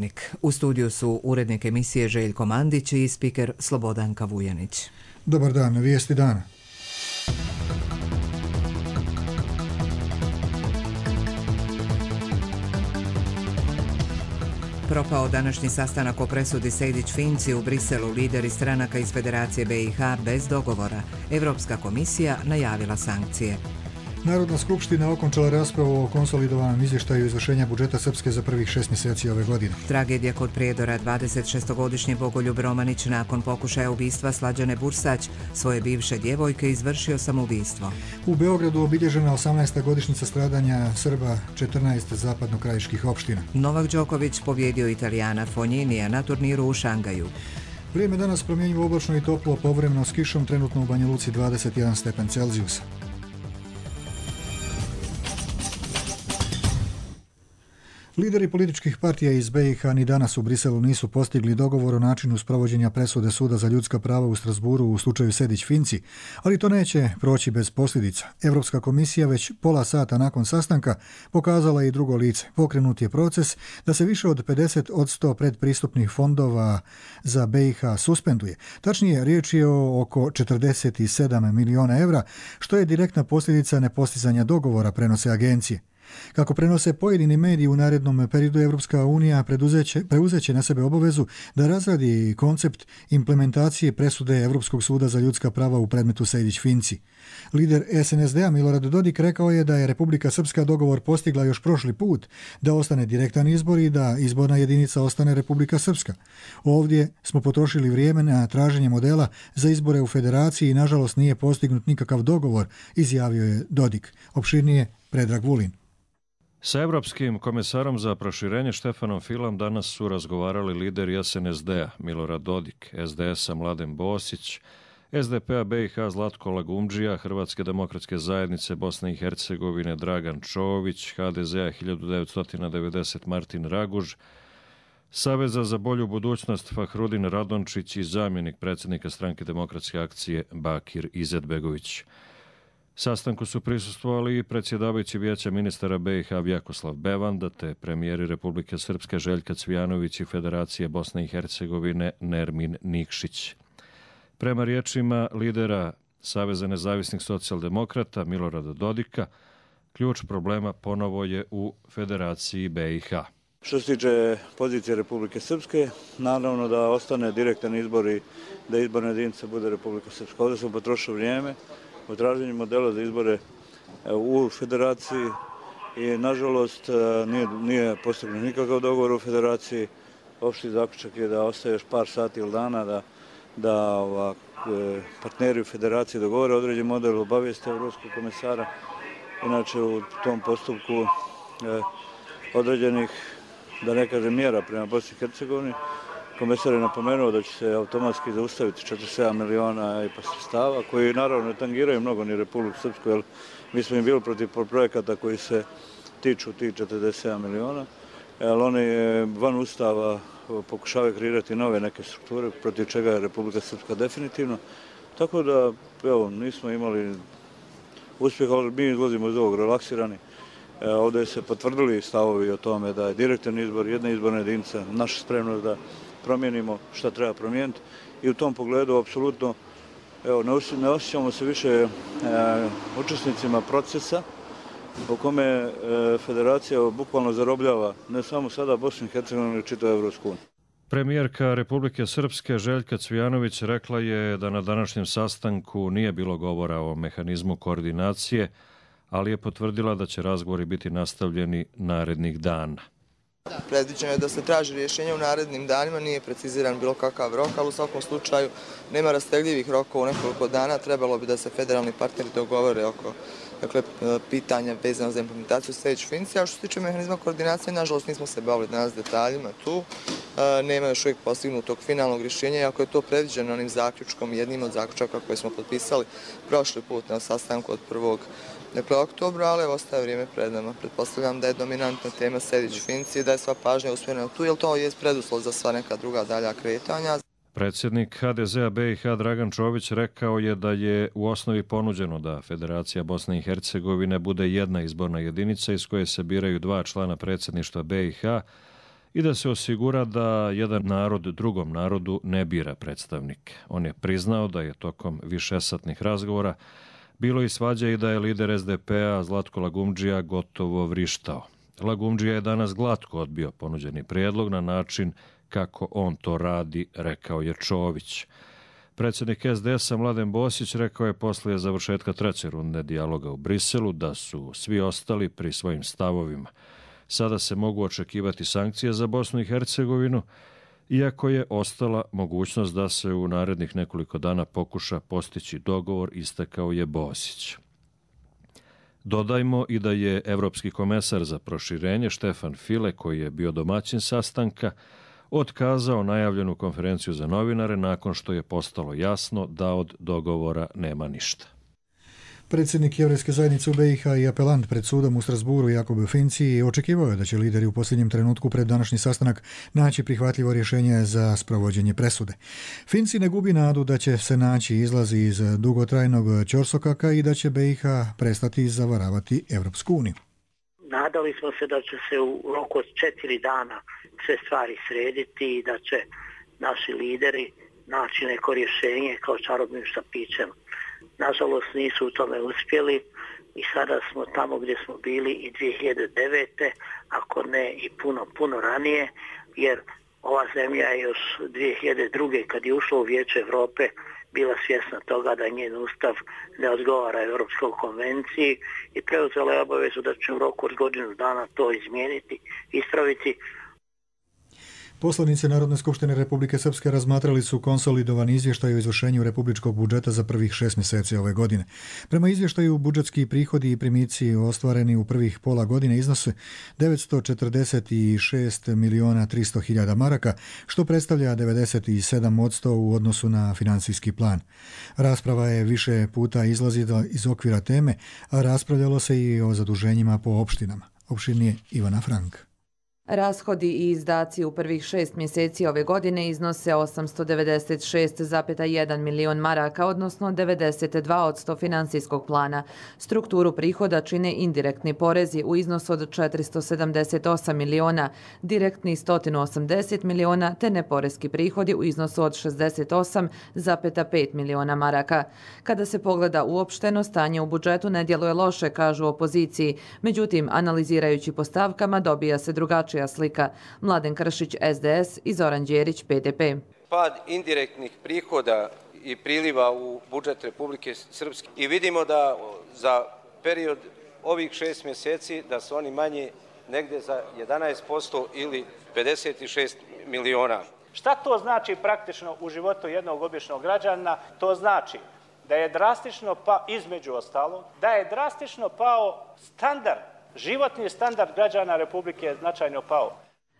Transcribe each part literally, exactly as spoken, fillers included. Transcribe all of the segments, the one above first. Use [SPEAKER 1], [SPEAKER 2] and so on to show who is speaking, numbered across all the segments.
[SPEAKER 1] Dnevnik. U studiju su urednik emisije Željko Mandić i spiker Slobodanka Vujanić.
[SPEAKER 2] Dobar dan, vijesti dana.
[SPEAKER 1] Propao današnji sastanak o presudi Sejdić-Finci u Briselu. Lideri stranaka iz Federacije B i H bez dogovora. Europska komisija najavila sankcije.
[SPEAKER 2] Narodna skupština okončala raspravu o konsolidovanom izvještaju izvršenja budžeta Srpske za prvih šest mjeseci ove godine.
[SPEAKER 1] Tragedija kod Prijedora. dvadeset šestogodišnji Bogoljub Romanić nakon pokušaja ubistva Slađane Bursać svoje bivše djevojke izvršio samoubistvo.
[SPEAKER 2] U Beogradu obilježena osamnaesta godišnjica stradanja Srba četrnaest zapadnokrajiških opština.
[SPEAKER 1] Novak Đoković pobjedio Italijana Fogninija na turniru u Šangaju.
[SPEAKER 2] Vrijeme danas promjenjivo, oblačno i toplo, povremeno s kišom, trenutno u Banja Luci dvadeset jedan stepen Celzijusa. Lideri političkih partija iz B i H ni danas u Briselu nisu postigli dogovor o načinu sprovođenja presude Suda za ljudska prava u Strasburu u slučaju Sejdić-Finci, ali to neće proći bez posljedica. Europska komisija već pola sata nakon sastanka pokazala i drugo lice. Pokrenut je proces da se više od pedeset od sto predpristupnih fondova za B i H suspenduje. Tačnije, riječ je o oko četrdeset sedam milijuna evra, što je direktna posljedica nepostizanja dogovora, prenose agencije. Kako prenose pojedini mediji, u narednom periodu Evropska unija preuzeće na sebe obavezu da razradi koncept implementacije presude Europskog suda za ljudska prava u predmetu Sejdić-Finci. Lider S N S D-a Milorad Dodik rekao je da je Republika Srpska dogovor postigla još prošli put, da ostane direktan izbor i da izborna jedinica ostane Republika Srpska. Ovdje smo potrošili vrijeme na traženje modela za izbore u federaciji i nažalost nije postignut nikakav dogovor, izjavio je Dodik. Opširnije Predrag Vulin.
[SPEAKER 3] Sa Evropskim komesarom za proširenje Štefanom Filom danas su razgovarali lideri S N S D-a Milorad Dodik, S D S-a Mladen Bosić, S D P-a B i H Zlatko Lagumdžija, Hrvatske demokratske zajednice Bosne i Hercegovine Dragan Čović, H D Z-a hiljadu devetsto devedeset Martin Raguž, Saveza za bolju budućnost Fahrudin Radončić i zamjenik predsjednika Stranke demokratske akcije Bakir Izetbegović. Sastanku su prisustvovali i predsjedavajući Vijeća ministara B i H Vjakoslav Bevanda te premijeri Republike Srpske Željka Cvijanović i Federacije Bosne i Hercegovine Nermin Nikšić. Prema riječima lidera Saveza nezavisnih socijaldemokrata Milorada Dodika, ključ problema ponovo je u Federaciji B i H.
[SPEAKER 4] Što se tiče pozicije Republike Srpske, naravno da ostane direktan izbor i da izborna jedinica bude Republika Srpska. Ovdje smo potrošili vrijeme u traženju modela za izbore u federaciji i nažalost nije, nije postignut nikakav dogovor u federaciji. Opšti zaključak je da ostaje još par sati ili dana da, da ova, partneri u federaciji dogovore određen model, obavijeste Evropskog komesara. Inače u tom postupku eh, određenih, da ne kažem, mjera prema Bosni i Hercegovini, komesar je napomenuo da će se automatski zaustaviti četrdeset sedam miliona I P A sredstava, koji naravno ne tangiraju mnogo ni Republiku Srpsku, jer mi smo im bili protiv projekata koji se tiču tih četrdeset sedam miliona, jer oni van ustava pokušavaju kreirati nove neke strukture, protiv čega je Republika Srpska definitivno. Tako da, evo, nismo imali uspjeha, ali mi izlazimo iz ovog relaksirani. Ovdje se potvrdili stavovi o tome da je direktan izbor, jedna izborna jedinica, naša spremnost da promijenimo šta treba promijeniti i u tom pogledu apsolutno evo, ne osjećamo se više e, učesnicima procesa u kome e, federacija bukvalno zarobljava ne samo sada Bosnu i Hercegovinu, nego čitavu Evropsku uniju.
[SPEAKER 3] Premijerka Republike Srpske Željka Cvijanović rekla je da na današnjem sastanku nije bilo govora o mehanizmu koordinacije, ali je potvrdila da će razgovori biti nastavljeni narednih dana.
[SPEAKER 5] Predviđeno je da se traži rješenje u narednim danima, nije preciziran bilo kakav rok, ali u svakom slučaju nema rastegljivih rokova u nekoliko dana. Trebalo bi da se federalni partneri dogovore oko dakle, pitanja vezano za implementaciju Sejdić-Finci. A što se tiče mehanizma koordinacije, nažalost nismo se bavili danas detaljima tu. Nema još uvijek postignutog finalnog rješenja, iako je to predviđeno onim zaključkom, jednim od zaključaka koje smo potpisali prošli put na sastanku od prvog Dakle, oktobra, ali ostaje vrijeme pred nama. Pretpostavljam da je dominantna tema Sejdić-Finci i da je sva pažnja usmjerena tu, jer to je preduslov za sva neka druga dalja kretanja.
[SPEAKER 3] Predsjednik H D Z-a B i H Dragan Čović rekao je da je u osnovi ponuđeno da Federacija Bosne i Hercegovine bude jedna izborna jedinica iz koje se biraju dva člana predsjedništva B i H i da se osigura da jedan narod drugom narodu ne bira predstavnike. On je priznao da je tokom višesatnih razgovora bilo i svađa i da je lider es de pe a Zlatko Lagumdžija gotovo vrištao. Lagumdžija je danas glatko odbio ponuđeni prijedlog na način kako on to radi, rekao je Čović. Predsjednik es de es a Mladen Bosić rekao je poslije završetka treće runde dijaloga u Briselu da su svi ostali pri svojim stavovima. Sada se mogu očekivati sankcije za Bosnu i Hercegovinu, iako je ostala mogućnost da se u narednih nekoliko dana pokuša postići dogovor, istakao je Bosić. Dodajmo i da je Evropski komesar za proširenje Štefan File, koji je bio domaćin sastanka, otkazao najavljenu konferenciju za novinare nakon što je postalo jasno da od dogovora nema ništa.
[SPEAKER 2] Predsjednik Jevrejske zajednice u be i ha i apelant pred sudom u Strasburu Jakub Finci očekivao je da će lideri u posljednjem trenutku pred današnji sastanak naći prihvatljivo rješenje za sprovođenje presude. Finci ne gubi nadu da će se naći izlazi iz dugotrajnog ćorsokaka i da će be i ha prestati zavaravati Evropsku uniju.
[SPEAKER 6] Nadali smo se da će se u roku od četiri dana sve stvari srediti i da će naši lideri naći neko rješenje kao čarobnim štapićem. Nažalost nisu u tome uspjeli i sada smo tamo gdje smo bili i dvije hiljade devete. ako ne i puno, puno ranije, jer ova zemlja je još dvije hiljade druge. kad je ušla u Vijeće Europe bila svjesna toga da njen ustav ne odgovara Europskoj konvenciji i preuzela je obavezu da će u roku od godinu dana to izmijeniti, ispraviti.
[SPEAKER 2] Poslanici Narodne skupštine Republike Srpske razmatrali su konsolidovan izvještaj o izvršenju republičkog budžeta za prvih šest mjeseci ove godine. Prema izvještaju, budžetski prihodi i primici ostvareni u prvih pola godine iznose devetsto četrdeset šest miliona tristo hiljada maraka, što predstavlja devedeset sedam posto u odnosu na financijski plan. Rasprava je više puta izlazila iz okvira teme, a raspravljalo se i o zaduženjima po opštinama. Opštinije Ivana Frank.
[SPEAKER 7] Rashodi i izdaci u prvih šest mjeseci ove godine iznose osamsto devedeset šest zarez jedan milion maraka, odnosno devedeset dva posto financijskog plana. Strukturu prihoda čine indirektni porezi u iznosu od četiristo sedamdeset osam miliona, direktni sto osamdeset miliona, te neporeski prihodi u iznosu od šezdeset osam zarez pet miliona maraka. Kada se pogleda uopšteno, stanje u budžetu ne djeluje loše, kažu opoziciji. Međutim, analizirajući po stavkama, dobija se drugačije slika. Mladen Kršić, es de es i Zoran Đerić, pe de pe.
[SPEAKER 8] Pad indirektnih prihoda i priliva u budžet Republike Srpske i vidimo da za period ovih šest mjeseci da su oni manji negdje za jedanaest posto ili pedeset šest miliona.
[SPEAKER 9] Šta to znači praktično u životu jednog običnog građana? To znači da je drastično, pa između ostalog, da je drastično pao standard, životni standard građana Republike je značajno pao.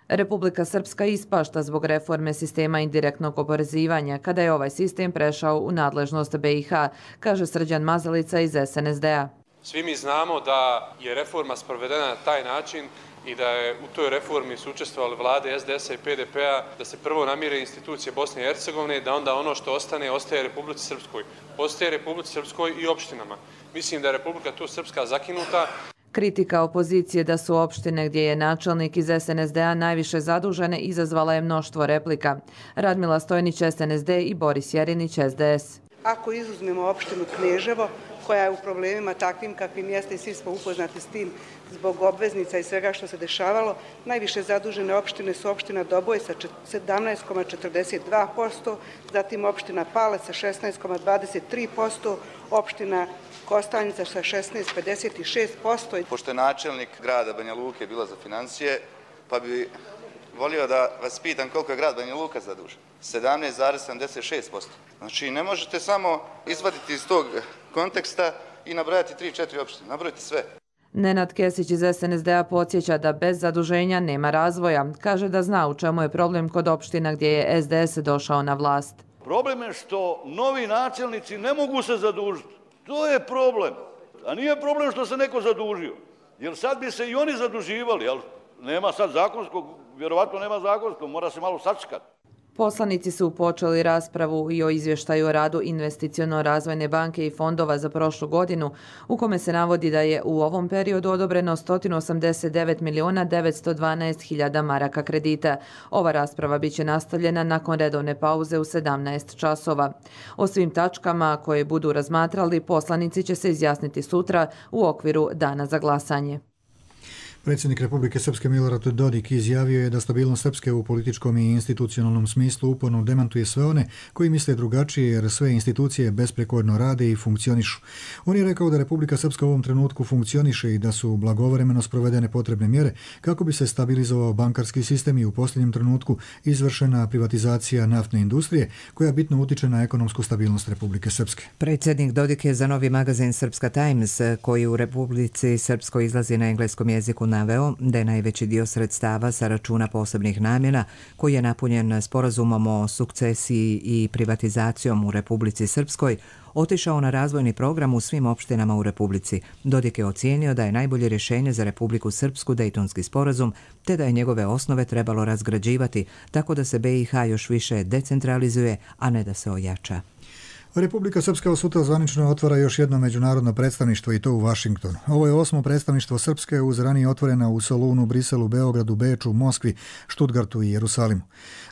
[SPEAKER 7] Republika Srpska ispašta zbog reforme sistema indirektnog oporezivanja, kada je ovaj sistem prešao u nadležnost be i ha, kaže Srđan Mazalica iz es en es de a.
[SPEAKER 10] Svi mi znamo da je reforma sprovedena na taj način i da je u toj reformi su učestvovali vlade es de es a i pe de pe a, da se prvo namire institucije Bosne i Hercegovine, da onda ono što ostane, ostaje Republici Srpskoj. Ostaje Republici Srpskoj i opštinama. Mislim da je Republika tu Srpska zakinuta.
[SPEAKER 7] Kritika opozicije da su opštine gdje je načelnik iz es en es de a najviše zadužene izazvala je mnoštvo replika. Radmila Stojnić, es en es de i Boris Jerinić, es de es.
[SPEAKER 11] Ako izuzmemo opštinu Kneževo, koja je u problemima takvim kakvim jeste i svi smo upoznati s tim zbog obveznica i svega što se dešavalo, najviše zadužene opštine su opština Doboj sa sedamnaest zarez četrdeset dva posto, zatim opština Pale sa šesnaest zarez dvadeset tri posto, opština Kostajnica sa šesnaest zarez pedeset šest posto.
[SPEAKER 12] Pošto je načelnik grada Banja Luke bila za financije, pa bi volio da vas pitam koliko je grad Banja Luka zadužen. sedamnaest zarez sedamdeset šest posto. Znači ne možete samo izvaditi iz tog konteksta i nabrojati tri četiri opštine. Nabrojite sve.
[SPEAKER 7] Nenad Kesić iz es en es de a podsjeća da bez zaduženja nema razvoja. Kaže da zna u čemu je problem kod opština gdje je es de es došao na vlast.
[SPEAKER 13] Problem je što novi načelnici ne mogu se zadužiti. To je problem. A nije problem što se neko zadužio. Jer sad bi se i oni zaduživali, ali nema sad zakonskog, vjerovatno nema zakonskog, mora se malo sačekati.
[SPEAKER 7] Poslanici su počeli raspravu i o izvještaju o radu Investiciono-razvojne banke i fondova za prošlu godinu, u kome se navodi da je u ovom periodu odobreno sto osamdeset devet miliona devetsto dvanaest hiljada maraka kredita. Ova rasprava biće nastavljena nakon redovne pauze u sedamnaest časova. O svim tačkama koje budu razmatrali, poslanici će se izjasniti sutra u okviru dana za glasanje.
[SPEAKER 2] Predsjednik Republike Srpske Milorad Dodik izjavio je da stabilnost Srpske u političkom i institucionalnom smislu uporno demantuje sve one koji misle drugačije, jer sve institucije besprekorno rade i funkcionišu. On je rekao da Republika Srpska u ovom trenutku funkcioniše i da su blagovremeno sprovedene potrebne mjere kako bi se stabilizovao bankarski sistem i u posljednjem trenutku izvršena privatizacija naftne industrije koja bitno utiče na ekonomsku stabilnost Republike Srpske.
[SPEAKER 1] Predsjednik Dodik je za novi magazin Srpska Times, koji u Republici Srpskoj izlazi na engleskom jeziku, naveo da je najveći dio sredstava sa računa posebnih namjena, koji je napunjen sporazumom o sukcesiji i privatizacijom u Republici Srpskoj, otišao na razvojni program u svim opštinama u Republici. Dodik je ocijenio da je najbolje rješenje za Republiku Srpsku Dejtonski sporazum, te da je njegove osnove trebalo razgrađivati tako da se B i H još više decentralizuje, a ne da se ojača.
[SPEAKER 2] Republika Srpska od sutra zvanično otvara još jedno međunarodno predstavništvo i to u Vašingtonu. Ovo je osmo predstavništvo Srpske uz ranije otvorena u Solunu, Briselu, Beogradu, Beču, Moskvi, Štutgartu i Jerusalimu.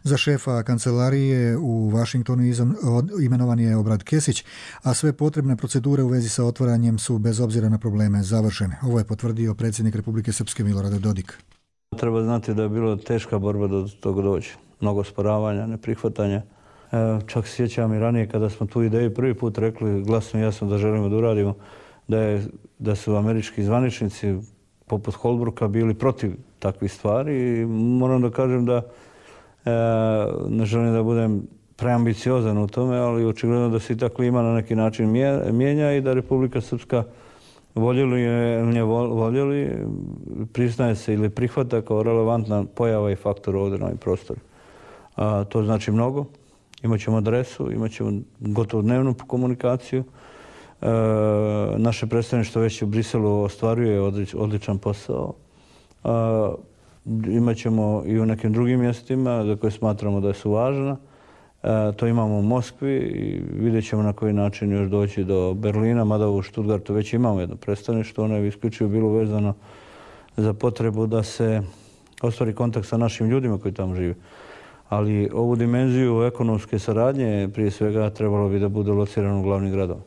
[SPEAKER 2] Za šefa kancelarije u Vašingtonu imenovan je Obrad Kesić, a sve potrebne procedure u vezi sa otvaranjem su bez obzira na probleme završene. Ovo je potvrdio predsjednik Republike Srpske Milorad Dodik.
[SPEAKER 14] Treba znati da je bilo teška borba do toga doći. Mnogo sporavanja, neprihvatanja. Čak se sjećam i ranije kada smo tu ideju prvi put rekli glasno i jasno da želimo da uradimo, da, je, da su američki zvaničnici poput Holbrooka bili protiv takvih stvari i moram da kažem da e, ne želim da budem preambiciozan u tome, ali očigledno da se i ta klima na neki način mijenja i da Republika Srpska voljeli je, ne voljeli, priznaje se ili prihvata kao relevantna pojava i faktor ovdje na ovim prostoru. A, to znači mnogo. Imaćemo adresu, imaćemo gotovo dnevnu komunikaciju. E, naše predstavništvo već u Briselu ostvaruje odlič, odličan posao. E, imaćemo i u nekim drugim mjestima za koje smatramo da su važna. E, to imamo u Moskvi i vidjet ćemo na koji način još doći do Berlina, mada u Štutgartu već imamo jedno predstavništvo. Ono je isključivo bilo vezano za potrebu da se ostvari kontakt sa našim ljudima koji tamo žive. Ali ovu dimenziju ekonomske saradnje prije svega trebalo bi da bude locirano u glavnih gradova.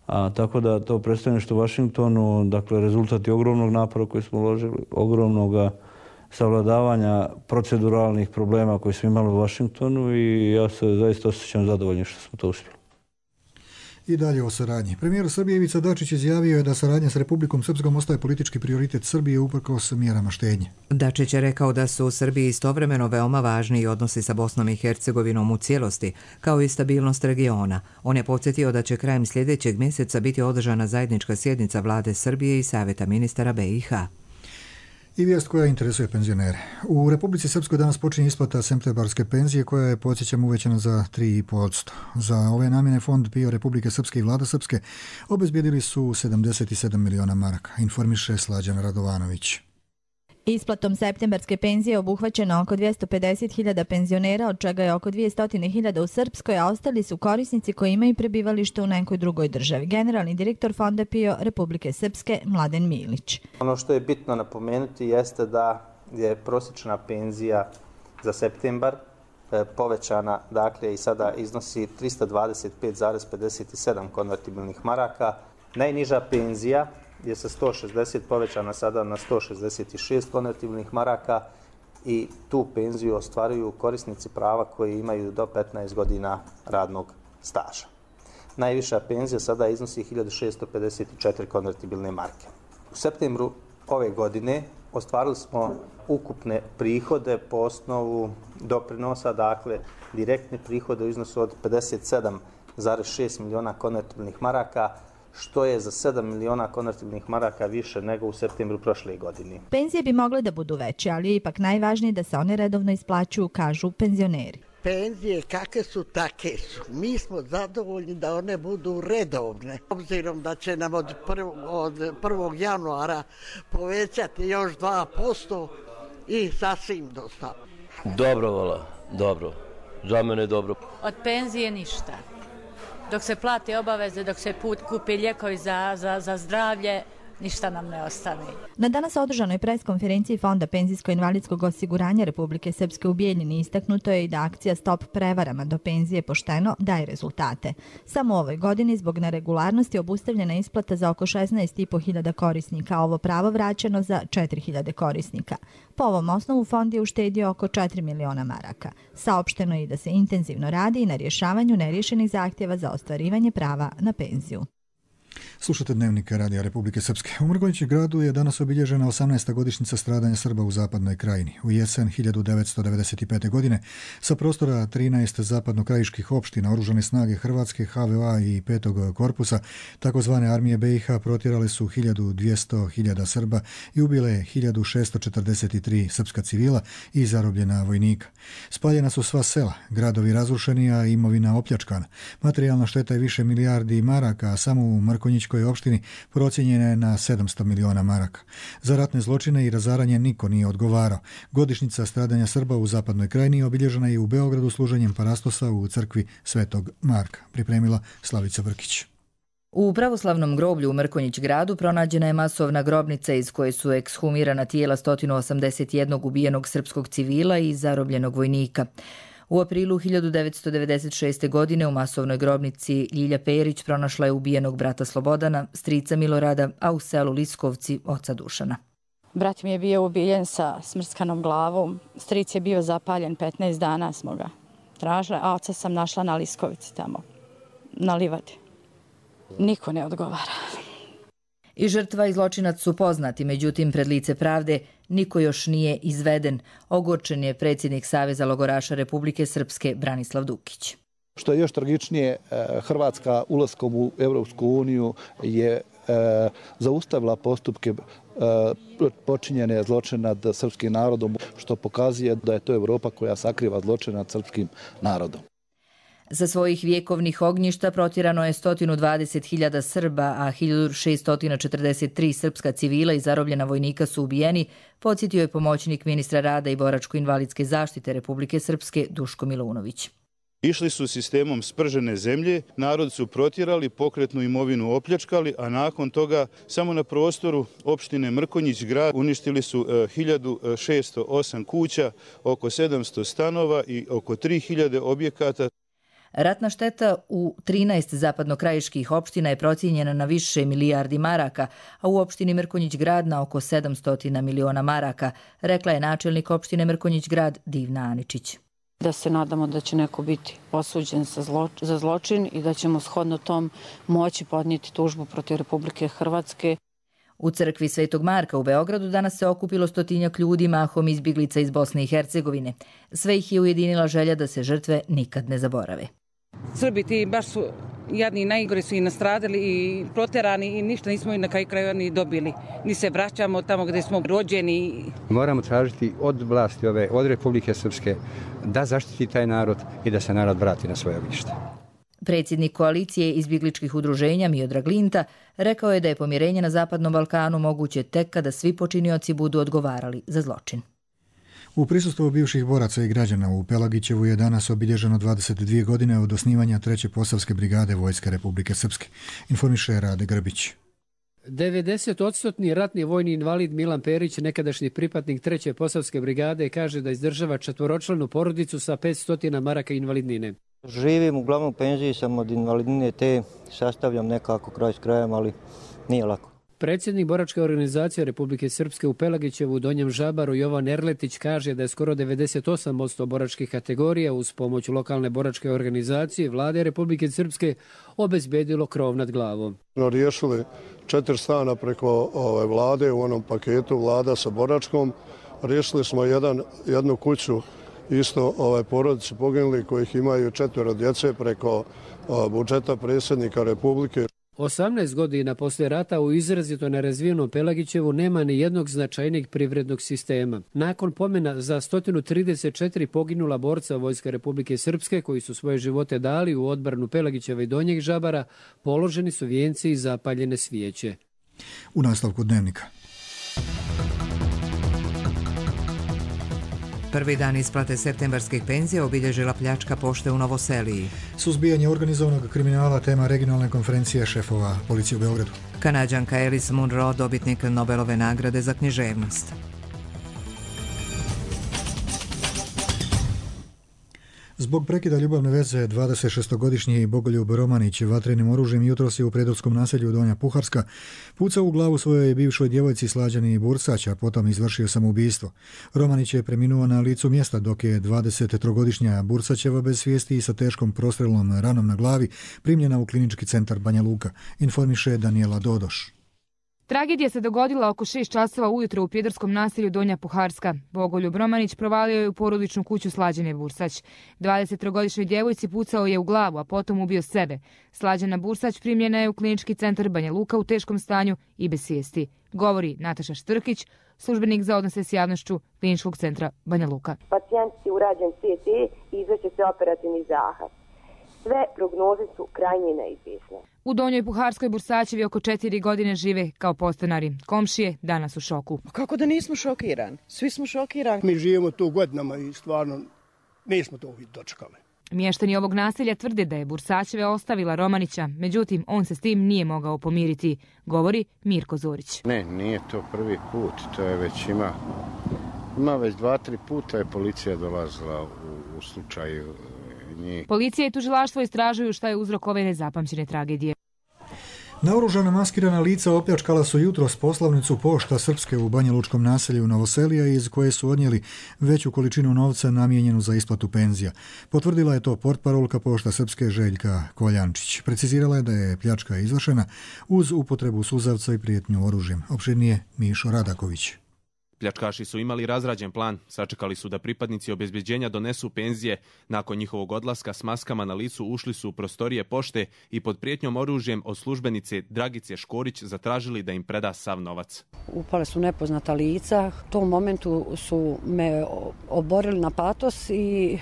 [SPEAKER 14] A tako da to predstavništvo u Vašingtonu, dakle, rezultat je ogromnog napora koji smo uložili, ogromnog savladavanja proceduralnih problema koji smo imali u Vašingtonu i ja se zaista osjećam zadovoljnim što smo to uspjeli.
[SPEAKER 2] I dalje o saradnji. Premijer Srbije Ivica Dačić izjavio je da saradnja s Republikom Srpskom ostaje politički prioritet Srbije uprkos mjerama štednje.
[SPEAKER 1] Dačić je rekao da su u Srbiji istovremeno veoma važni i odnosi sa Bosnom i Hercegovinom u cijelosti, kao i stabilnost regiona. On je podsjetio da će krajem sljedećeg mjeseca biti održana zajednička sjednica vlade Srbije i Savjeta ministara B i H.
[SPEAKER 2] I vijest koja interesuje penzionere. U Republici Srpskoj danas počinje isplata septembarske penzije koja je, podsjećam, uvećana za tri i po posto. Za ove namjene Fond P I O Republike Srpske i Vlada Srpske obezbijedili su sedamdeset sedam miliona maraka, informiše Slađan Radovanović.
[SPEAKER 15] Isplatom septembarske penzije obuhvaćeno oko dvjesto pedeset hiljada penzionera, od čega je oko dvjesto hiljada u Srpskoj, a ostali su korisnici koji imaju prebivalište u nekoj drugoj državi. Generalni direktor Fonda P I O Republike Srpske Mladen Milić.
[SPEAKER 16] Ono što je bitno napomenuti jeste da je prosječna penzija za septembar povećana, dakle i sada iznosi trista dvadeset pet zarez pedeset sedam konvertibilnih maraka. Najniža penzija je sa sto šezdeset povećana sada na sto šezdeset šest konvertibilnih maraka i tu penziju ostvaruju korisnici prava koji imaju do petnaest godina radnog staža. Najviša penzija sada iznosi hiljadu šesto pedeset četiri konvertibilne marke. U septembru ove godine ostvarili smo ukupne prihode po osnovu doprinosa, dakle direktne prihode u iznosu od pedeset sedam zarez šest miliona konvertibilnih maraka, što je za sedam miliona konvertibilnih maraka više nego u septembru prošle godine.
[SPEAKER 15] Penzije bi mogle da budu veće, ali je ipak najvažnije da se one redovno isplaćuju, kažu penzioneri.
[SPEAKER 17] Penzije kakve su, take su. Mi smo zadovoljni da one budu redovne. Obzirom da će nam od, prv, od prvog januara povećati još dva posto i sasvim dosta.
[SPEAKER 18] Dobro, vola, dobro. za mene dobro.
[SPEAKER 19] Od penzije ništa. Dok se plate obaveze, dok se put kupi lijekovi za, za, za zdravlje, ništa nam ne ostane.
[SPEAKER 15] Na danas održanoj preskonferenciji Fonda penzijsko-invalidskog osiguranja Republike Srpske u Bijeljini istaknuto je i da akcija Stop prevarama do penzije pošteno daje rezultate. Samo u ovoj godini zbog neregularnosti obustavljena isplata za oko šesnaest i po hiljada korisnika, a ovo pravo vraćeno za četiri hiljade korisnika. Po ovom osnovu fond je uštedio oko četiri miliona maraka. Saopšteno je i da se intenzivno radi i na rješavanju neriješenih zahtjeva za ostvarivanje prava na penziju.
[SPEAKER 2] Slušate Dnevnika Radija Republike Srpske. U Mrkonjić gradu je danas obilježena osamnaesta godišnjica stradanja Srba u zapadnoj krajini. U jesen hiljadu devetsto devedeset pete. godine sa prostora trinaest zapadnokrajiških opština oružane snage Hrvatske, H V O-a i petog korpusa takozvane armije B i H protjerale su hiljadu dvjesto hiljada Srba i ubile hiljadu šesto četrdeset tri srpska civila i zarobljena vojnika. Spaljena su sva sela, gradovi razrušeni, a imovina opljačkana. Materijalna šteta je više milijardi maraka, a samo u Mrkonjićkoj opštini procijenjena je na sedamsto miliona maraka. Za ratne zločine i razaranje niko nije odgovarao. Godišnjica stradanja Srba u zapadnoj krajini obilježena je u Beogradu služenjem parastosa u crkvi Svetog Marka. Pripremila Slavica Brkić.
[SPEAKER 20] U pravoslavnom groblju u Mrkonjić gradu pronađena je masovna grobnica iz koje su ekshumirana tijela sto osamdeset jednog ubijenog srpskog civila i zarobljenog vojnika. U aprilu hiljadu devetsto devedeset šeste. godine u masovnoj grobnici Ljilja Perić pronašla je ubijenog brata Slobodana, strica Milorada, a u selu Liskovci oca Dušana.
[SPEAKER 21] Brat mi je bio ubijen sa smrskanom glavom, stric je bio zapaljen, petnaest dana smo ga tražili, a oca sam našla na Liskovici tamo, na livadi. Niko ne odgovara.
[SPEAKER 20] I žrtva i zločinac su poznati, međutim pred lice pravde niko još nije izveden. Ogorčen je predsjednik Saveza logoraša Republike Srpske Branislav Dukić.
[SPEAKER 22] Što je još tragičnije, Hrvatska ulaskom u Evropsku uniju je zaustavila postupke počinjene zločina nad srpskim narodom, što pokazuje da je to Evropa koja sakriva zločine nad srpskim narodom.
[SPEAKER 20] Sa svojih vjekovnih ognjišta protjerano je sto dvadeset hiljada Srba, a hiljadu šesto četrdeset tri srpska civila i zarobljena vojnika su ubijeni, podsjetio je pomoćnik ministra rada i boračko-invalidske zaštite Republike Srpske Duško Milunović.
[SPEAKER 23] Išli su sistemom spržene zemlje, narod su protjerali, pokretnu imovinu opljačkali, a nakon toga samo na prostoru opštine Mrkonjić grad uništili su hiljadu šesto osam kuća, oko sedamsto stanova i oko tri hiljade objekata.
[SPEAKER 20] Ratna šteta u trinaest zapadnokrajiških opština je procijenjena na više milijardi maraka, a u opštini Mrkonjić grad na oko sedamsto miliona maraka, rekla je načelnik opštine Mrkonjić grad Divna Aničić.
[SPEAKER 21] Da se nadamo da će neko biti osuđen za zločin i da ćemo shodno tom moći podnijeti tužbu protiv Republike Hrvatske.
[SPEAKER 20] U crkvi Svetog Marka u Beogradu danas se okupilo stotinjak ljudi, mahom izbjeglica iz Bosne i Hercegovine. Sve ih je ujedinila želja da se žrtve nikad ne zaborave.
[SPEAKER 24] Srbi ti baš su jadni i najgore su i nastradali i proterani i ništa nismo i na kraju krajeva ni dobili. Ni se vraćamo tamo gdje smo rođeni.
[SPEAKER 25] Moramo tražiti od vlasti ove, od Republike Srpske da zaštiti taj narod i da se narod vrati na svoje ognjište.
[SPEAKER 20] Predsjednik koalicije izbjegličkih udruženja Miodrag Linta rekao je da je pomirenje na Zapadnom Balkanu moguće tek kada svi počinioci budu odgovarali za zločin.
[SPEAKER 2] U prisustvu bivših boraca i građana u Pelagićevu je danas obilježeno dvadeset dvije godine od osnivanja treće Posavske brigade Vojske Republike Srpske, informiše Rade Grbić.
[SPEAKER 26] devedesetodstotni ratni vojni invalid Milan Perić, nekadašnji pripadnik treće Posavske brigade, kaže da izdržava četvoročlanu porodicu sa petsto maraka invalidnine.
[SPEAKER 27] Živim uglavnom u penziji, sam od invalidnine te sastavljam nekako kraj s krajem, ali nije lako.
[SPEAKER 26] Predsjednik boračke organizacije Republike Srpske u Pelagićevu u Donjem Žabaru Jovan Erletić kaže da je skoro devedeset osam posto boračkih kategorija uz pomoć lokalne boračke organizacije vlade Republike Srpske obezbedilo krov nad glavom.
[SPEAKER 28] Riješili četiri stana preko ove vlade u onom paketu vlada sa boračkom. Riješili smo jedan, jednu kuću isto ove porodice poginuli kojih imaju četvero djece preko budžeta predsjednika Republike.
[SPEAKER 26] osamnaest godina poslije rata u izrazito nerazvijenom Pelagićevu nema ni jednog značajnijeg privrednog sistema. Nakon pomena za sto trideset četiri poginula borca Vojske Republike Srpske koji su svoje živote dali u odbranu Pelagićeva i Donjeg Žabara, položeni su vijenci i zapaljene svijeće.
[SPEAKER 2] U nastavku Dnevnika.
[SPEAKER 1] Prvi dan isplate septembarskih penzija obilježila pljačka pošte u Novoseliji.
[SPEAKER 2] Suzbijanje organizovanog kriminala tema regionalne konferencije šefova policije u Beogradu.
[SPEAKER 1] Kanađanka Alice Munro, dobitnik Nobelove nagrade za književnost.
[SPEAKER 2] Zbog prekida ljubavne veze dvadesetšestogodišnji Bogoljub Romanić vatrenim oružjem jutros je u Prijedorskom naselju Donja Puharska pucao u glavu svojoj bivšoj djevojci Slađani Bursać, a potom izvršio samoubistvo. Romanić je preminuo na licu mjesta, dok je dvadesettrogodišnja Bursaćeva bez svijesti i sa teškom prostrelnom ranom na glavi primljena u klinički centar Banja Luka, informiše Danijela Dodoš.
[SPEAKER 3] Tragedija se dogodila oko šest časova ujutro u prijedorskom naselju Donja Puharska. Bogoljub Romanić provalio je u porodičnu kuću Slađane Bursać. dvadesettrogodišnjoj djevojci pucao je u glavu, a potom ubio sebe. Slađana Bursać primljena je u klinički centar Banja Luka u teškom stanju i bez svijesti. Govori Nataša Štrkić, službenik za odnose s javnošću kliničkog centra Banja Luka.
[SPEAKER 4] Pacijent je urađen C T i izvrši se operativni zahvat. Sve prognoze su krajnje neizvjesne.
[SPEAKER 3] U Donjoj Puharskoj Bursaćevi oko četiri godine žive kao podstanari. Komšije danas u šoku.
[SPEAKER 5] Kako da nismo šokirani? Svi smo šokirani.
[SPEAKER 6] Mi živimo tu godinama i stvarno nismo to dočekali.
[SPEAKER 3] Mještani ovog naselja tvrde da je Bursaćeve ostavila Romanića, međutim on se s tim nije mogao pomiriti, govori Mirko Zorić.
[SPEAKER 8] Ne, nije to prvi put, to je već ima, ima već dva, tri puta je policija dolazila u, u slučaju njih.
[SPEAKER 3] Policija i tužilaštvo istražuju šta je uzrok ove nezapamćene tragedije.
[SPEAKER 2] Naoružana maskirana lica opljačkala su jutros poslovnicu Pošta Srpske u banjalučkom naselju Novoselija, iz koje su odnijeli veću količinu novca namijenjenu za isplatu penzija. Potvrdila je to portparolka Pošta Srpske Željka Koljančić. Precizirala je da je pljačka izvršena uz upotrebu suzavca i prijetnju oružjem. Opširnije Mišo Radaković.
[SPEAKER 9] Pljačkaši su imali razrađen plan, sačekali su da pripadnici obezbeđenja donesu penzije. Nakon njihovog odlaska s maskama na licu ušli su u prostorije pošte i pod prijetnjom oružjem od službenice Dragice Škorić zatražili da im preda sav novac.
[SPEAKER 5] Upale su nepoznata lica, u tom momentu su me oborili na patos i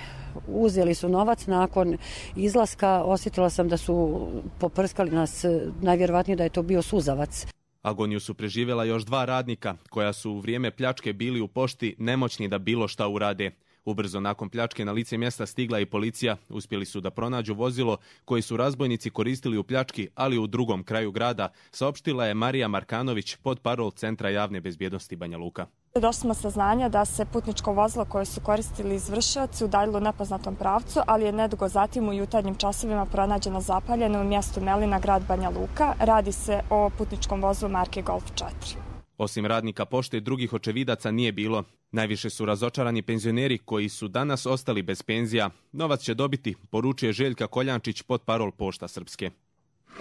[SPEAKER 5] uzeli su novac. Nakon izlaska osjetila sam da su poprskali nas, najvjerovatnije da je to bio suzavac.
[SPEAKER 9] Agoniju su preživjela još dva radnika, koja su u vrijeme pljačke bili u pošti nemoćni da bilo šta urade. Ubrzo nakon pljačke na lice mjesta stigla i policija. Uspjeli su da pronađu vozilo koje su razbojnici koristili u pljački, ali u drugom kraju grada, saopštila je Marija Markanović, podparol Centra javne bezbjednosti Banja Luka.
[SPEAKER 10] Došli smo saznanja da se putničko vozilo koje su koristili izvršioci udaljilo u nepoznatom pravcu, ali je nedugo zatim u jutarnjim časovima pronađeno zapaljeno u mjestu Melina, grad Banja Luka. Radi se o putničkom vozilu marke Golf četiri.
[SPEAKER 9] Osim radnika pošte, drugih očevidaca nije bilo. Najviše su razočarani penzioneri koji su danas ostali bez penzija. Novac će dobiti, poručuje Željka Koljančić, podparol Pošta Srpske.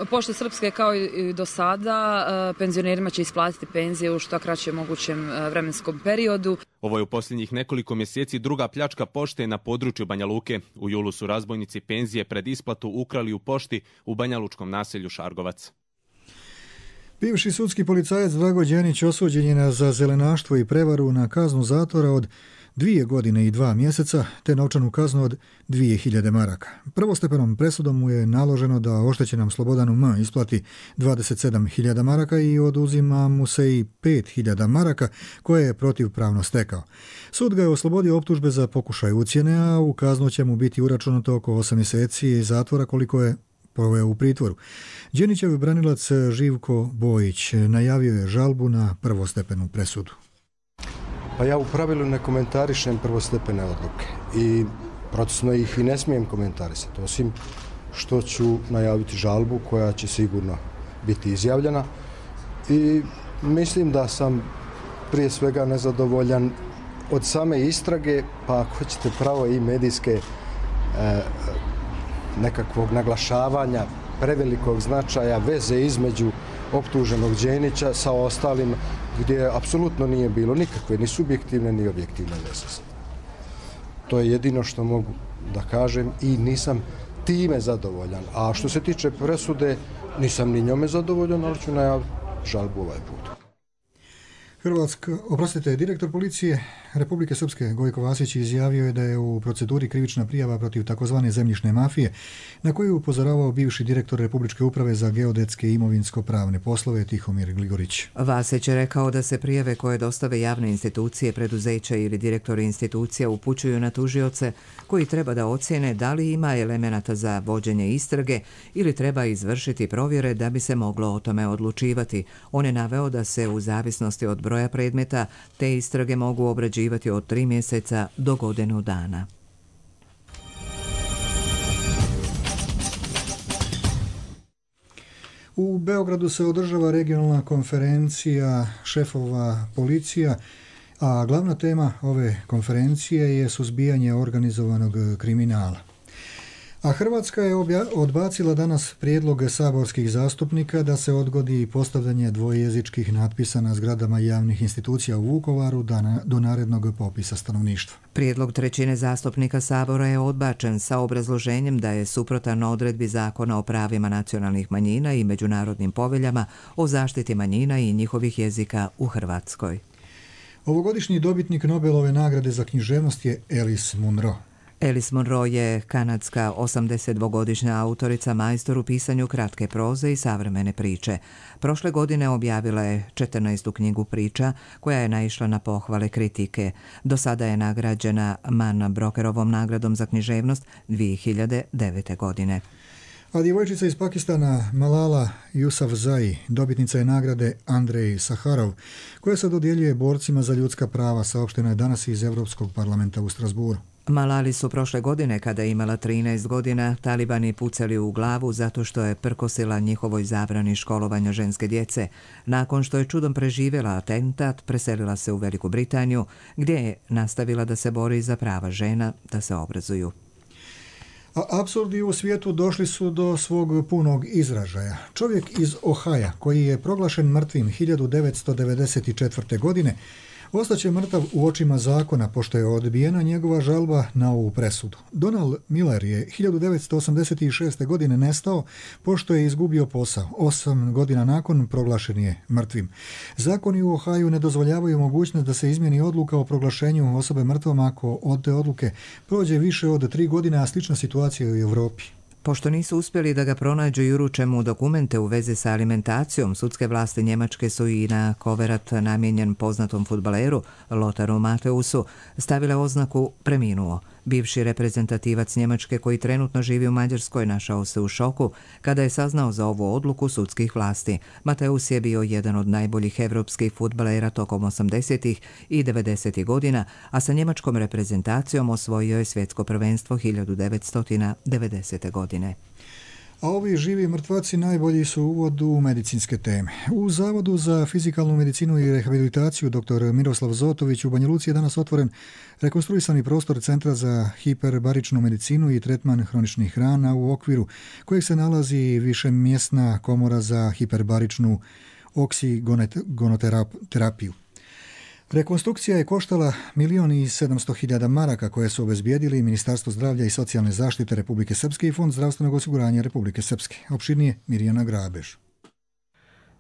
[SPEAKER 18] Pošta Srpske kao i do sada penzionerima će isplatiti penzije u što kraćem mogućem vremenskom periodu.
[SPEAKER 9] Ovo je u posljednjih nekoliko mjeseci druga pljačka pošte na području Banja Luke. U julu su razbojnici penzije pred isplatu ukrali u pošti u banjalučkom naselju Šargovac.
[SPEAKER 2] Bivši sudski policajac Drago Đenić osuđen je za zelenaštvo i prevaru na kaznu zatvora od dvije godine i dva mjeseca, te novčanu kaznu od dvije hiljade maraka. Prvostepenom presudom mu je naloženo da oštećenom Slobodanu M isplati dvadeset sedam hiljada maraka i oduzima mu se i pet hiljada maraka koje je protivpravno stekao. Sud ga je oslobodio optužbe za pokušaj ucjene, a u kaznu će mu biti uračunato oko osam mjeseci zatvora koliko je proveo u pritvoru. Đenićev branilac Živko Bojić najavio je žalbu na prvostepenu presudu.
[SPEAKER 29] Pa ja u pravilu ne komentarišem prvostepene odluke i procesno ih i ne smijem komentarisati, osim što ću najaviti žalbu koja će sigurno biti izjavljena i mislim da sam prije svega nezadovoljan od same istrage, pa ako hoćete pravo i medijske e, nekakvog naglašavanja prevelikog značaja veze između optuženog Đenića sa ostalim, gdje apsolutno nije bilo nikakve ni subjektivne ni objektivne veze. To je jedino što mogu da kažem i nisam time zadovoljan. A što se tiče presude, nisam ni njome zadovoljan, ali ću najaviti žalbu ovaj put.
[SPEAKER 2] Hrvatska, oprostite, direktor policije Republike Srpske Gojko Vasić izjavio je da je u proceduri krivična prijava protiv takozvane zemljišne mafije, na koju je upozoravao bivši direktor Republičke uprave za geodetske i imovinsko-pravne poslove Tihomir Gligorić.
[SPEAKER 1] Vasić je rekao da se prijave koje dostave javne institucije, preduzeća ili direktori institucija upućuju na tužioce koji treba da ocjene da li ima elemenata za vođenje istrage ili treba izvršiti provjere da bi se moglo o tome odlučivati. On je naveo da se u zavisnosti od broja predmeta te istrage mogu obrađivati od tri mjeseca do godinu dana.
[SPEAKER 2] U Beogradu se održava regionalna konferencija šefova policija, a glavna tema ove konferencije je suzbijanje organizovanog kriminala. A Hrvatska je odbacila danas prijedlog saborskih zastupnika da se odgodi postavljanje dvojezičkih natpisa na zgradama javnih institucija u Vukovaru do narednog popisa stanovništva.
[SPEAKER 1] Prijedlog trećine zastupnika Sabora je odbačen sa obrazloženjem da je suprotan odredbi Zakona o pravima nacionalnih manjina i međunarodnim poveljama o zaštiti manjina i njihovih jezika u Hrvatskoj.
[SPEAKER 2] Ovogodišnji dobitnik Nobelove nagrade za književnost je Alice Munro.
[SPEAKER 1] Alice Munro je kanadska osamdesetdvogodišnja autorica, majstor u pisanju kratke proze i savremene priče. Prošle godine objavila je četrnaestu knjigu priča koja je naišla na pohvale kritike. Do sada je nagrađena Man Brokerovom nagradom za književnost dvije hiljade devete. godine.
[SPEAKER 2] A djevojčica iz Pakistana Malala Yousafzai dobitnica je nagrade Andrej Saharov, koja se dodjeljuje borcima za ljudska prava, saopšteno je danas iz Europskog parlamenta u Strasburu.
[SPEAKER 1] Malali su prošle godine, kada je imala trinaest godina, talibani pucali u glavu zato što je prkosila njihovoj zabrani školovanja ženske djece. Nakon što je čudom preživjela atentat, preselila se u Veliku Britaniju, gdje je nastavila da se bori za prava žena da se obrazuju.
[SPEAKER 2] A apsurdi u svijetu došli su do svog punog izražaja. Čovjek iz Ohaja, koji je proglašen mrtvim hiljadu devetsto devedeset četvrte. godine, ostaće mrtav u očima zakona pošto je odbijena njegova žalba na ovu presudu. Donald Miller je hiljadu devetsto osamdeset šeste. godine nestao pošto je izgubio posao. Osam godina nakon proglašen je mrtvim. Zakoni u Ohaju ne dozvoljavaju mogućnost da se izmjeni odluka o proglašenju osobe mrtvom ako od te odluke prođe više od tri godine, a slična situacija u Europi.
[SPEAKER 1] Pošto nisu uspjeli da ga pronađu i uruče mu dokumente u vezi sa alimentacijom, sudske vlasti Njemačke su i na koverat namijenjen poznatom fudbaleru Lotaru Mateusu stavile oznaku preminuo. Bivši reprezentativac Njemačke koji trenutno živi u Mađarskoj našao se u šoku kada je saznao za ovu odluku sudskih vlasti. Mateus je bio jedan od najboljih evropskih fudbalera tokom osamdesetih i devedesetih godina, a sa njemačkom reprezentacijom osvojio je svjetsko prvenstvo hiljadu devetsto devedesete. godine.
[SPEAKER 2] A ovi živi mrtvaci najbolji su uvod u medicinske teme. U Zavodu za fizikalnu medicinu i rehabilitaciju dr. Miroslav Zotović u Banja Luci je danas otvoren rekonstruisani prostor Centra za hiperbaričnu medicinu i tretman hroničnih rana, u okviru kojeg se nalazi višemjesna komora za hiperbaričnu oksigonoterapiju. Rekonstrukcija je koštala milion i sedamsto hiljada maraka koje su obezbijedili Ministarstvo zdravlja i socijalne zaštite Republike Srpske i Fond zdravstvenog osiguranja Republike Srpske. Opširnije Mirjana Grabež.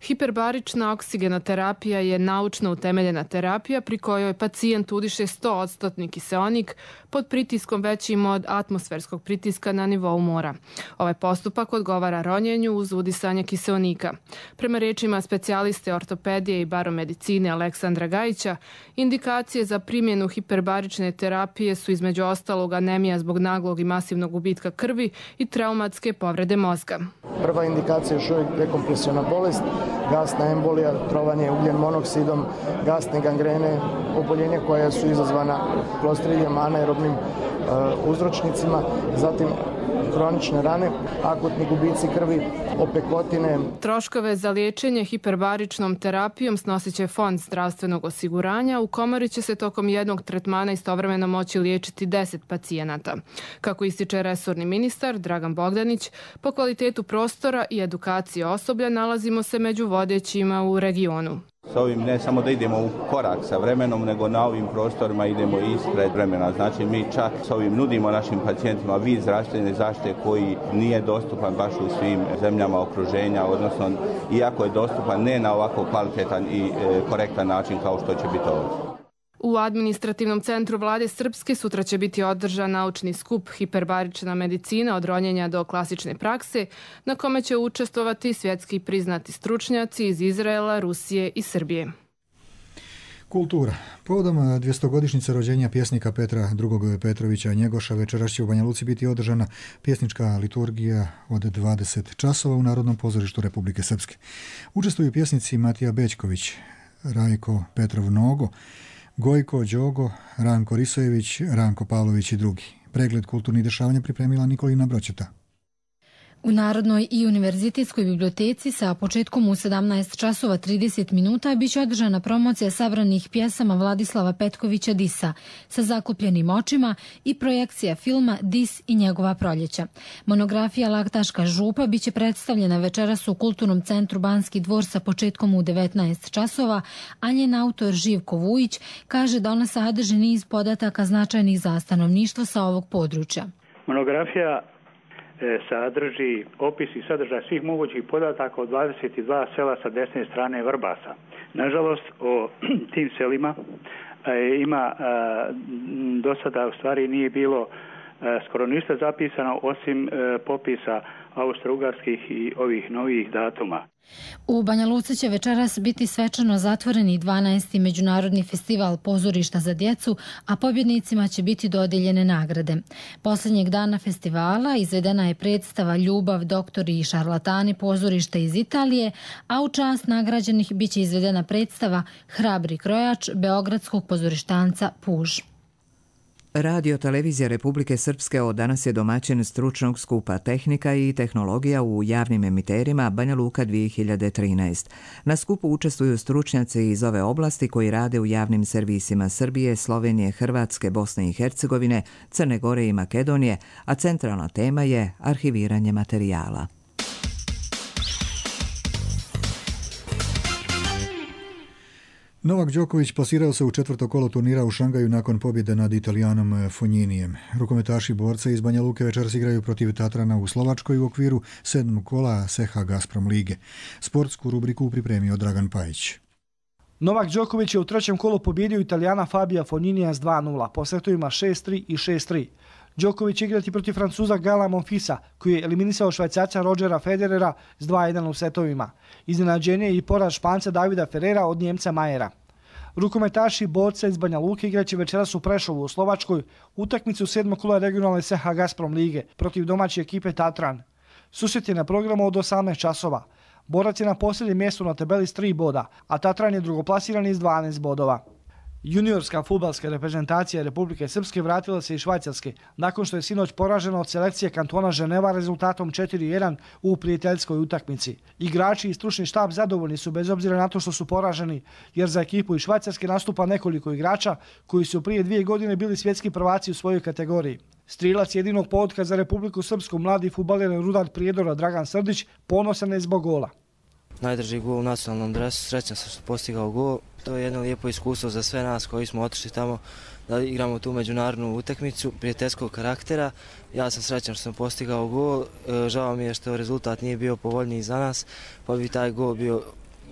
[SPEAKER 7] Hiperbarična oksigenoterapija je naučno utemeljena terapija pri kojoj pacijent udiše sto odstotni kiseonik pod pritiskom većim od atmosferskog pritiska na nivou mora. Ovaj postupak odgovara ronjenju uz udisanje kiseonika. Prema rečima specijaliste ortopedije i baromedicine Aleksandra Gajića, indikacije za primjenu hiperbarične terapije su između ostalog anemija zbog naglog i masivnog gubitka krvi i traumatske povrede mozga.
[SPEAKER 11] Prva indikacija je još uvijek dekompresivna bolest, gasna embolija, trovanje ugljen monoksidom, gasne gangrene, oboljenja koja su izazvana klostridijem, anaerobnim uh, uzročnicima, zatim hronične rane, akutni gubici krvi, opekotine.
[SPEAKER 7] Troškove za liječenje hiperbaričnom terapijom snosit će Fond zdravstvenog osiguranja. U komori će se tokom jednog tretmana istovremeno moći liječiti deset pacijenata. Kako ističe resorni ministar Dragan Bogdanić, po kvalitetu prostora i edukacije osoblja nalazimo se među vodećima u regionu.
[SPEAKER 12] S ovim ne samo da idemo u korak sa vremenom, nego na ovim prostorima idemo ispred vremena. Znači mi čak s ovim nudimo našim pacijentima vid zdravstvene zaštite koji nije dostupan baš u svim zemljama okruženja, odnosno iako je dostupan ne na ovako kvalitetan i e, korektan način kao što će biti ovdje.
[SPEAKER 7] U administrativnom centru vlade Srpske sutra će biti održan naučni skup Hiperbarična medicina od ronjenja do klasične prakse, na kome će učestvovati svjetski priznati stručnjaci iz Izraela, Rusije i Srbije.
[SPEAKER 2] Kultura. Povodom dvjestogodišnjice rođenja pjesnika Petra drugog Petrovića Njegoša večeras će u Banja Luci biti održana pjesnička liturgija od dvadeset časova u Narodnom pozorištu Republike Srpske. Učestvuju pjesnici Matija Bećković, Rajko Petrov Nogo, Gojko Đogo, Ranko Risojević, Ranko Pavlović i drugi. Pregled kulturnih dešavanja pripremila Nikolina Broćeta.
[SPEAKER 13] U Narodnoj i univerzitetskoj biblioteci sa početkom u sedamnaest časova trideset minuta biće održana promocija sabranih pjesama Vladislava Petkovića Disa sa zakupljenim očima i projekcija filma Dis i njegova proljeća. Monografija Laktaška župa biće predstavljena večeras u Kulturnom centru Banski dvor sa početkom u devetnaest časova, a njen autor Živko Vujić kaže da ona sadrži niz podataka značajnih za stanovništvo sa ovog područja.
[SPEAKER 14] Monografija sadrži opis i sadržaj svih mogućih podataka od dvadeset dva sela sa desne strane Vrbasa. Nažalost, o tim selima ima do sada u stvari nije bilo skoro ništa zapisano osim popisa austro-ugarskih i ovih novih datuma.
[SPEAKER 13] U Banja Luci će večeras biti svečano zatvoreni dvanaesti Međunarodni festival pozorišta za djecu, a pobjednicima će biti dodijeljene nagrade. Posljednjeg dana festivala izvedena je predstava Ljubav, doktori i šarlatani pozorišta iz Italije, a u čast nagrađenih biće izvedena predstava Hrabri krojač beogradskog pozorištanca Puž.
[SPEAKER 1] Radio televizija Republike Srpske od danas je domaćin stručnog skupa Tehnika i tehnologija u javnim emiterima Banja Luka dvije hiljade trinaest. Na skupu učestvuju stručnjaci iz ove oblasti koji rade u javnim servisima Srbije, Slovenije, Hrvatske, Bosne i Hercegovine, Crne Gore i Makedonije, a centralna tema je arhiviranje materijala.
[SPEAKER 2] Novak Đoković plasirao se u četvrto kolo turnira u Šangaju nakon pobjede nad Italijanom Fogninijem. Rukometaši borca iz Banja Luke večeras igraju protiv Tatrana u Slovačkoj u okviru sedmog kola S H Gazprom lige. Sportsku rubriku pripremio Dragan Pajić.
[SPEAKER 15] Novak Đoković je u trećem kolu pobjedio Italijana Fabija Fogninija s dva nula, po setovima šest tri i šest tri. Đoković će igrati protiv Francuza Gala Monfisa, koji je eliminisao Švajcarca Rodgera Federera s dva jedan u setovima. Iznenađenje je i poraz Španca Davida Ferrera od Njemca Majera. Rukometaši borca iz Banja Luke igraće večeras u Prešovu u Slovačkoj utakmicu sedmog kola regionalne S H Gazprom lige protiv domaće ekipe Tatran. Susret je na programu od osamnaest časova. Borac je na posljednjem mjestu na tabeli s tri boda, a Tatran je drugoplasirani s dvanaest bodova. Juniorska fudbalska reprezentacija Republike Srpske vratila se iz Švajcarske nakon što je sinoć poražena od selekcije kantona Ženeva rezultatom četiri jedan u prijateljskoj utakmici. Igrači i stručni štab zadovoljni su bez obzira na to što su poraženi, jer za ekipu iz Švajcarske nastupa nekoliko igrača koji su prije dvije godine bili svjetski prvaci u svojoj kategoriji. Strilac jedinog pogotka za Republiku Srpsku, mladi fudbaler Rudar Prijedora Dragan Srdić, ponosan je zbog gola.
[SPEAKER 16] Najdrži gol u nacionalnom dresu, srećan sam što postigao gol. To je jedno lijepo iskustvo za sve nas koji smo otišli tamo da igramo tu međunarodnu utakmicu prijateljskog karaktera. Ja sam srećan što sam postigao gol, žao mi je što rezultat nije bio povoljniji za nas, pa bi taj gol bio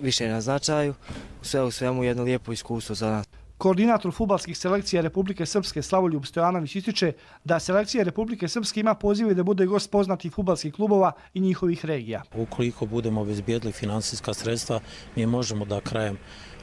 [SPEAKER 16] više na značaju. Sve u svemu jedno lijepo iskustvo za nas.
[SPEAKER 15] Koordinator fudbalskih selekcija Republike Srpske Slavoljub Stojanović ističe da selekcija Republike Srpske ima pozive da bude gost poznatih fudbalskih klubova i njihovih regija.
[SPEAKER 17] Ukoliko budemo obezbijedili finansijska sredstva, mi možemo da krajem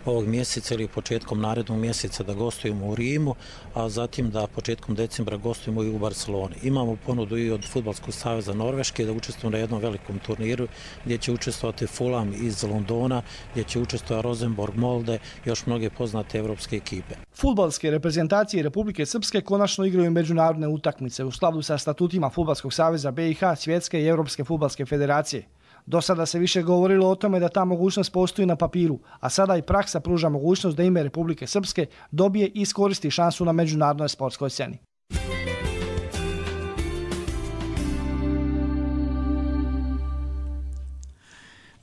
[SPEAKER 17] ovog mjeseca ili početkom narednog mjeseca da gostujemo u Rimu, a zatim da početkom decembra gostujemo i u Barceloni. Imamo ponudu i od Fudbalskog saveza Norveške da učestvujemo na jednom velikom turniru gdje će učestvovati Fulham iz Londona, gdje će učestvovati Rosenborg Molde i još mnoge poznate evropske ekipe.
[SPEAKER 15] Fudbalske reprezentacije Republike Srpske konačno igraju međunarodne utakmice u skladu sa statutima Fudbalskog saveza B i H, Svjetske i Evropske fudbalske federacije. Do sada se više govorilo o tome da ta mogućnost postoji na papiru, a sada i praksa pruža mogućnost da ime Republike Srpske dobije i iskoristi šansu na međunarodnoj sportskoj sceni.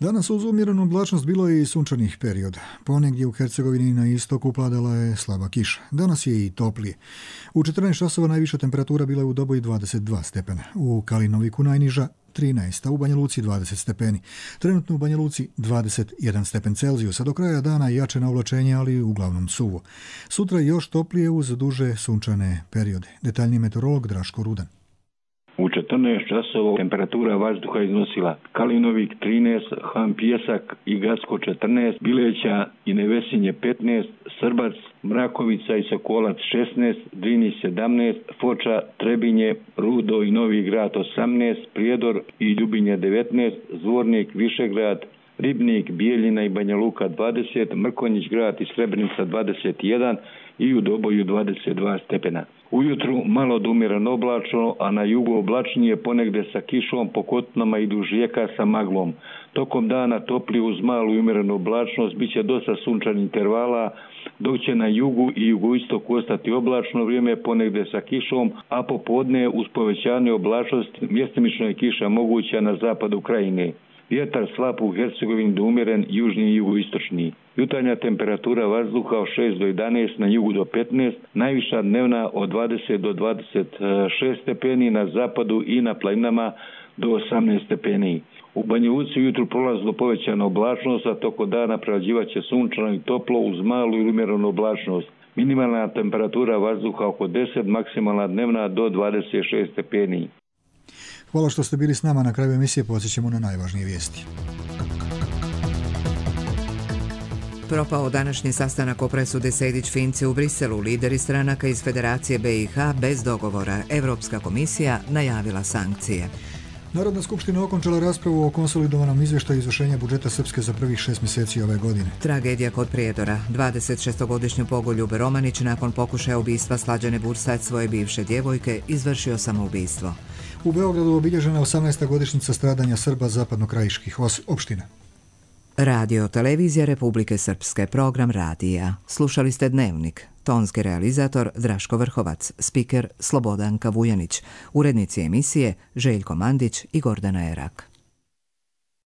[SPEAKER 2] Danas uz umjerenu oblačnost bilo je i sunčanih perioda. Ponegdje u Hercegovini na istoku padala je slaba kiša. Danas je i toplije. U četrnaest časova najviša temperatura bila je u Doboji dvadeset dva stepena, u Kalinoviku najniža trinaest, a u Banja Luci dvadeset stepeni. Trenutno u Banja Luci dvadeset jedan stepen Celzijusa. Do kraja dana jače navlačenje, ali uglavnom suvo. Sutra još toplije uz duže sunčane periode. Detaljni meteorolog Draško Rudan.
[SPEAKER 19] U četrnaest časova temperatura vazduha iznosila Kalinovik trinaest, Han Pijesak i Gacko četrnaest, Bileća i Nevesinje petnaest, Srbac, Mrakovica i Sokolac šesnaest, Drini sedamnaest, Foča, Trebinje, Rudo i Novi Grad osamnaest, Prijedor i Ljubinje devetnaest, Zvornik, Višegrad, Ribnik, Bijeljina i Banja Luka dvadeset, Mrkonjić Grad i Srebrenica dvadeset jedan i u Doboju dvadeset dva stepena. Ujutru malo od umjereno oblačno, a na jugu oblačnije ponegde sa kišom, po kotinama i duž rijeka sa maglom. Tokom dana topli uz malu i umjerenu oblačnost, bit će dosta sunčanih intervala, dok će na jugu i jugoistoku ostati oblačno vrijeme ponegde sa kišom, a popodne uz povećanje oblačnosti mjestimično je kiša moguća na zapadu krajine. Vjetar slab u Hercegovini do umjeren, južni i jugoistočni. Jutarnja temperatura vazduha od šest do jedanaest, na jugu do petnaest, najviša dnevna od dvadeset do dvadeset šest stepeni, na zapadu i na planinama do osamnaest stepeni. U Banja Luci ujutru prolazno povećana oblačnost, a toko dana prevlađivaće sunčano i toplo uz malu i umjerenu oblačnost. Minimalna temperatura vazduha oko deset, maksimalna dnevna do dvadeset šest stepeni.
[SPEAKER 2] Hvala što ste bili s nama. Na kraju emisije podsjećamo na najvažnije vijesti.
[SPEAKER 1] Propao današnji sastanak o presudi Sejdić-Finci u Briselu. Lideri stranaka iz Federacije B i H bez dogovora. Evropska komisija najavila sankcije.
[SPEAKER 2] Narodna skupština okončala raspravu o konsolidovanom izvještaju izvršenja budžeta Srpske za prvih šest mjeseci ove godine.
[SPEAKER 1] Tragedija kod Prijedora. dvadeset šestogodišnju Bogoljub Romanić nakon pokušaja ubistva Slađane Bursać, svoje bivše djevojke, izvršio samoubistvo.
[SPEAKER 2] U Beogradu obilježena osamnaesta godišnjica stradanja Srba zapadnokrajiških opština.
[SPEAKER 1] Radio Televizija Republike Srpske, program radija. Slušali ste Dnevnik. Tonski realizator Draško Vrhovac, spiker Slobodanka Vujanić, urednici emisije Željko Mandić i Gordana Erak.